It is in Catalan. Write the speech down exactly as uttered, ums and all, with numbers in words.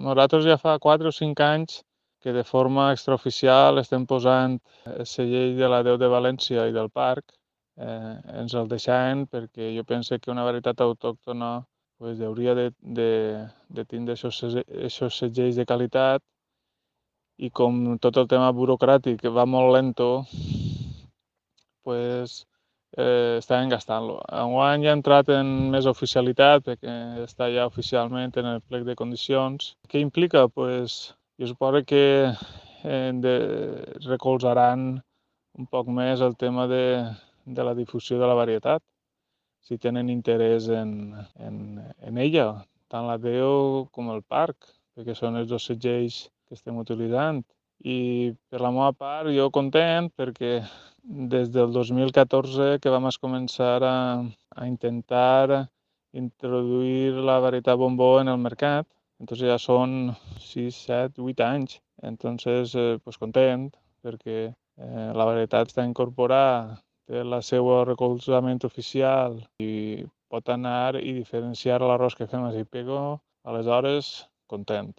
nosaltres ja fa quatre o cinc anys que de forma extraoficial estem posant el segell de la Déu de València i del parc. Eh, ens el deixaven perquè jo penso que una varietat autòctona pues, hauria de, de, de tindre aquests segells de qualitat, i com tot el tema burocràtic va molt lento, pues, eh, estaven gastant-lo. Enguany ja ha entrat en més oficialitat perquè està ja oficialment en el plec de condicions. Què implica? Pues, jo suposo que eh, de, recolzaran un poc més el tema de, de la difusió de la varietat, si tenen interès en, en, en ella, tant la Déu com el parc, perquè són els dos segells que estem utilitzant. I per la meva part, jo content perquè des del dos mil catorze que vam començar a, a intentar introduir la varietat bombó en el mercat, entonces ja són sis, set, vuit anys. Entonces, eh, pues content perquè eh, la varietat està incorporada, té el seu recolzament oficial i pot anar i diferenciar l'arròs que fem a Pego, aleshores content.